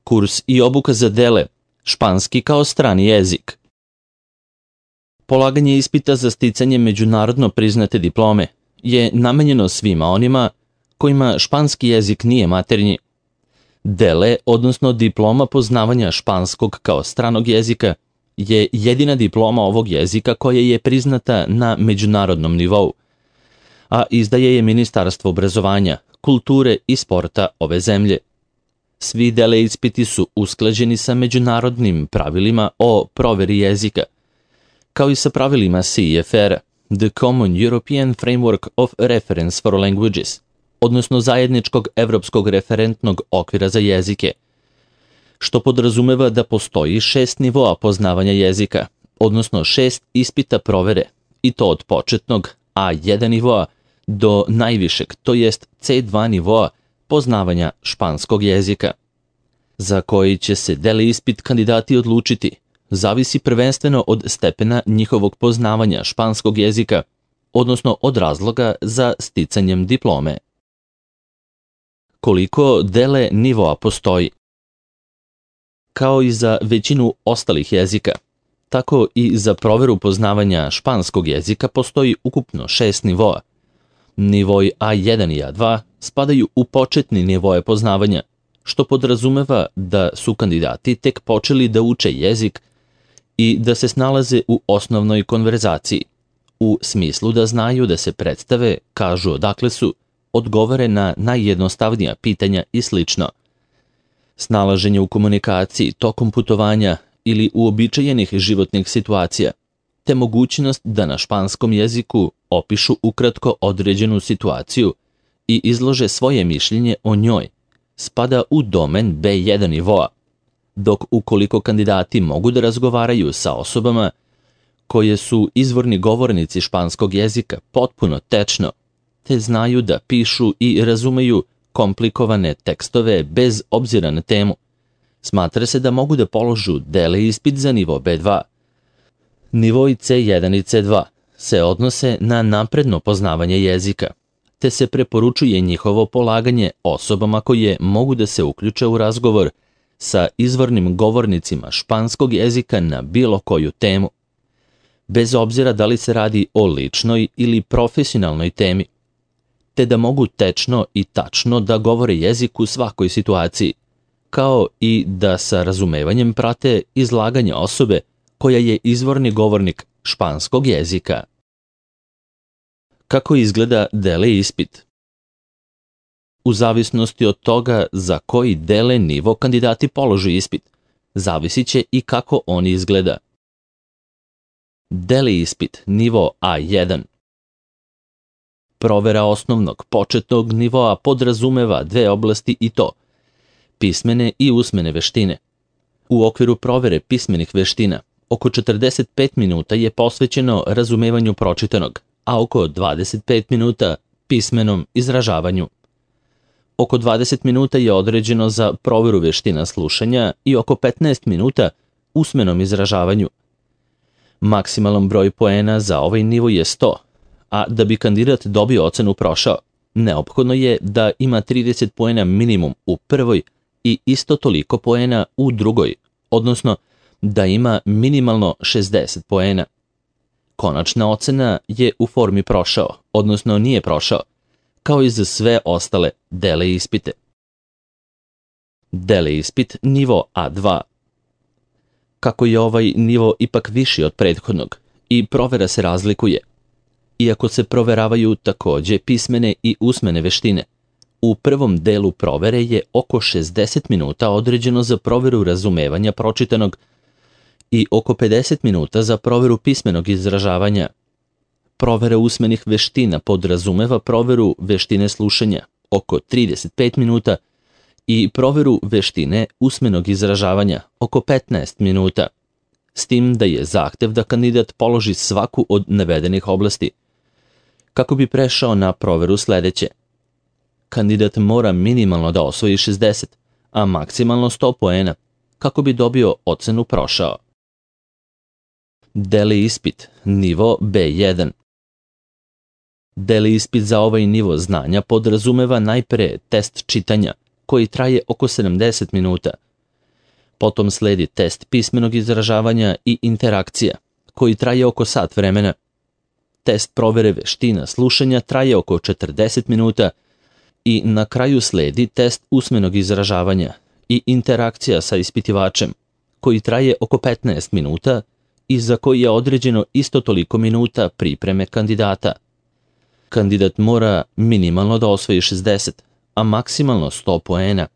Kurs i obuka za DELE, španski kao strani jezik. Polaganje ispita za sticanje međunarodno priznate diplome je namenjeno svima onima kojima španski jezik nije maternji. DELE, odnosno diploma poznavanja španskog kao stranog jezika, je jedina diploma ovog jezika koja je priznata na međunarodnom nivou, a izdaje je Ministarstvo obrazovanja, kulture i sporta ove zemlje. Svi DELE ispiti su usklađeni sa međunarodnim pravilima o proveri jezika, kao i sa pravilima CEFR, The Common European Framework of Reference for Languages, odnosno zajedničkog evropskog referentnog okvira za jezike, što podrazumeva da postoji 6 nivoa poznavanja jezika, odnosno 6 ispita provere, i to od početnog A1 nivoa do najvišeg, to jest C2 nivoa poznavanja španskog jezika. Za koji će se DELE ispit kandidati odlučiti, zavisi prvenstveno od stepena njihovog poznavanja španskog jezika, odnosno od razloga za sticanjem diplome. Koliko DELE nivoa postoji? Kao i za većinu ostalih jezika, tako i za proveru poznavanja španskog jezika postoji ukupno 6 nivoa. Nivoi A1 i A2 spadaju u početni nivoje poznavanja, što podrazumeva da su kandidati tek počeli da uče jezik i da se snalaze u osnovnoj konverzaciji, u smislu da znaju da se predstave, kažu odakle su, odgovore na najjednostavnija pitanja i slično. Snalaženje u komunikaciji tokom putovanja ili uobičajenih životnih situacija, te mogućnost da na španskom jeziku opišu ukratko određenu situaciju i izlože svoje mišljenje o njoj, spada u domen B1 nivoa, dok ukoliko kandidati mogu da razgovaraju sa osobama koje su izvorni govornici španskog jezika potpuno tečno, te znaju da pišu i razumeju komplikovane tekstove bez obzira na temu, smatra se da mogu da položu DELE ispit za nivo B2. Nivoi C1 i C2 se odnose na napredno poznavanje jezika, te se preporučuje njihovo polaganje osobama koje mogu da se uključe u razgovor sa izvornim govornicima španskog jezika na bilo koju temu, bez obzira da li se radi o ličnoj ili profesionalnoj temi, te da mogu tečno i tačno da govore jezik u svakoj situaciji, kao i da sa razumevanjem prate izlaganje osobe koja je izvorni govornik španskog jezika. Kako izgleda DELE ispit? U zavisnosti od toga za koji DELE nivo kandidati položu ispit, zavisit će i kako on izgleda. DELE ispit nivo A1. Provera osnovnog početnog nivoa podrazumeva 2 oblasti i to pismene i usmene veštine. U okviru provere pismenih veština oko 45 minuta je posvećeno razumevanju pročitanog, a oko 25 minuta pismenom izražavanju. Oko 20 minuta je određeno za proveru veština slušanja i oko 15 minuta usmenom izražavanju. Maksimalan broj poena za ovaj nivo je 100, a da bi kandidat dobio ocenu prošao, neophodno je da ima 30 poena minimum u prvoj i isto toliko poena u drugoj, odnosno da ima minimalno 60 poena. Konačna ocena je u formi prošao, odnosno nije prošao, kao i za sve ostale DELE ispite. DELE ispit nivo A2. Kako je ovaj nivo ipak viši od prethodnog i provera se razlikuje, iako se proveravaju takođe pismene i usmene veštine, u prvom delu provere je oko 60 minuta određeno za proveru razumevanja pročitanog i oko 50 minuta za proveru pismenog izražavanja. Provera usmenih veština podrazumeva proveru veštine slušanja, oko 35 minuta, i proveru veštine usmenog izražavanja, oko 15 minuta, s tim da je zahtev da kandidat položi svaku od navedenih oblasti. Kako bi prešao na proveru sledeće, kandidat mora minimalno da osvoji 60, a maksimalno 100 poena, kako bi dobio ocenu prošao. DELE ispit, nivo B1. DELE ispit za ovaj nivo znanja podrazumeva najpre test čitanja, koji traje oko 70 minuta, Potom sledi test pismenog izražavanja i interakcija, koji traje oko sat vremena. Test provere veština slušanja traje oko 40 minuta i na kraju sledi test usmenog izražavanja i interakcija sa ispitivačem, koji traje oko 15 minuta i za koji je određeno isto toliko minuta pripreme kandidata. Kandidat mora minimalno da osvoji 60, a maksimalno 100 poena,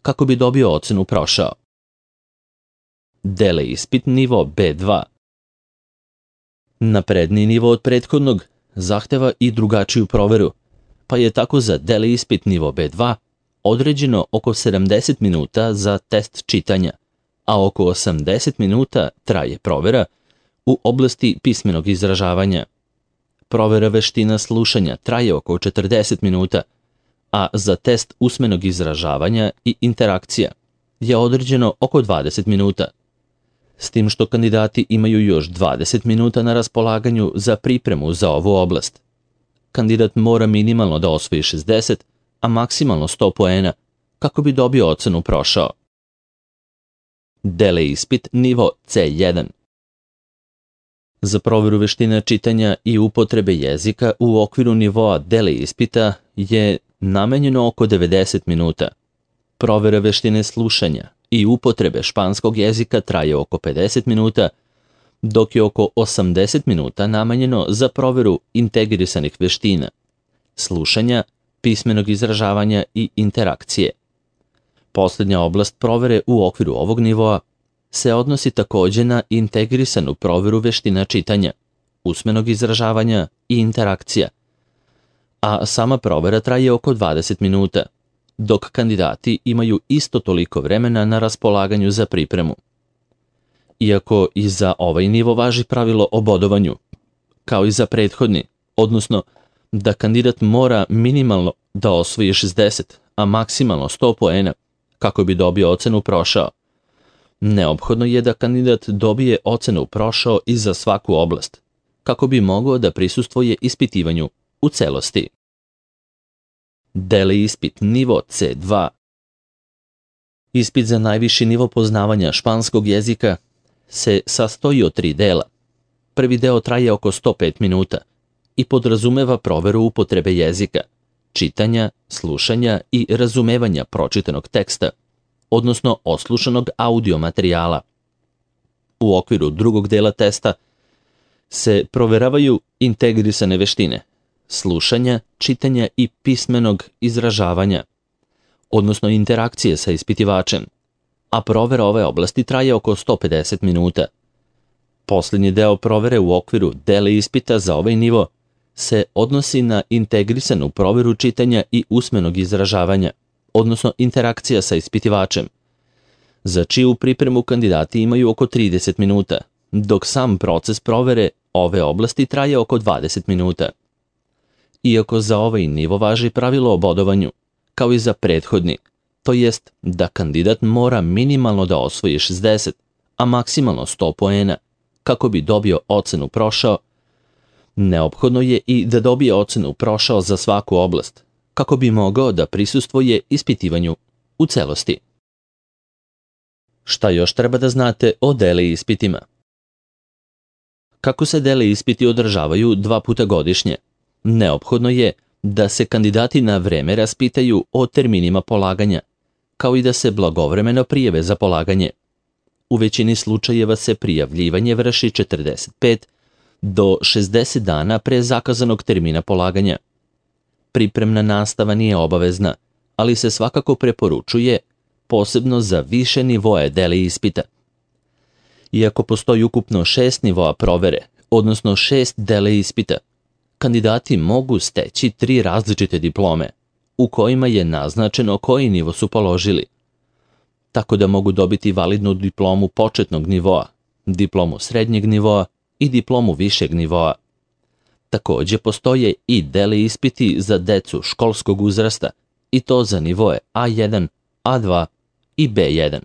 kako bi dobio ocenu prošao. Ispit nivo B2. Napredniji nivo od prethodnog zahteva i drugačiju proveru, pa je tako za ispit nivo B2 određeno oko 70 minuta za test čitanja, a oko 80 minuta traje provera u oblasti pismenog izražavanja. Provera veština slušanja traje oko 40 minuta, a za test usmenog izražavanja i interakcija je određeno oko 20 minuta. S tim što kandidati imaju još 20 minuta na raspolaganju za pripremu za ovu oblast. Kandidat mora minimalno da osvoji 60, a maksimalno 100 poena, kako bi dobio ocenu prošao. Ispit nivo C1. Za proveru veština čitanja i upotrebe jezika u okviru nivoa ispita je namenjeno oko 90 minuta. Provera veštine slušanja i upotrebe španskog jezika traje oko 50 minuta, dok je oko 80 minuta namenjeno za proveru integrisanih veština, slušanja, pismenog izražavanja i interakcije. Posljednja oblast provere u okviru ovog nivoa se odnosi također na integrisanu proveru veština čitanja, usmenog izražavanja i interakcija, a sama provera traje oko 20 minuta, dok kandidati imaju isto toliko vremena na raspolaganju za pripremu. Iako i za ovaj nivo važi pravilo o bodovanju, kao i za prethodni, odnosno da kandidat mora minimalno da osvoji 60, a maksimalno 100 poena, kako bi dobio ocenu prošao. Neophodno je da kandidat dobije ocenu prošao i za svaku oblast, kako bi mogao da prisustvuje ispitivanju u celosti. Ispit nivo C2. Ispit za najviši nivo poznavanja španskog jezika se sastoji od 3 dela. Prvi deo traje oko 105 minuta i podrazumeva proveru upotrebe jezika, čitanja, slušanja i razumevanja pročitanog teksta, odnosno oslušanog audio materijala. U okviru drugog dela testa se proveravaju integrisane veštine, slušanja, čitanja i pismenog izražavanja, odnosno interakcije sa ispitivačem, a provera ove oblasti traje oko 150 minuta. Posljednji deo provere u okviru ispita za ovaj nivo se odnosi na integrisanu proveru čitanja i usmenog izražavanja, odnosno interakcija sa ispitivačem, za čiju pripremu kandidati imaju oko 30 minuta, dok sam proces provere ove oblasti traje oko 20 minuta. Iako za ovaj nivo važi pravilo o bodovanju, kao i za prethodni, to jest da kandidat mora minimalno da osvoji 60, a maksimalno 100 poena, kako bi dobio ocenu prošao, neophodno je i da dobije ocenu prošao za svaku oblast, kako bi mogao da prisustvuje ispitivanju u celosti. Šta još treba da znate o ispitima? Kako se ispiti održavaju 2 puta godišnje, neophodno je da se kandidati na vreme raspitaju o terminima polaganja, kao i da se blagovremeno prijave za polaganje. U većini slučajeva se prijavljivanje vrši 45 do 60 dana pre zakazanog termina polaganja. Pripremna nastava nije obavezna, ali se svakako preporučuje, posebno za više nivoe ispita. Iako postoji ukupno 6 nivoa provere, odnosno 6 ispita, kandidati mogu steći 3 različite diplome, u kojima je naznačeno koji nivo su položili. Tako da mogu dobiti validnu diplomu početnog nivoa, diplomu srednjeg nivoa i diplomu višeg nivoa. Također postoje i ispiti za decu školskog uzrasta, i to za nivoe A1, A2 i B1.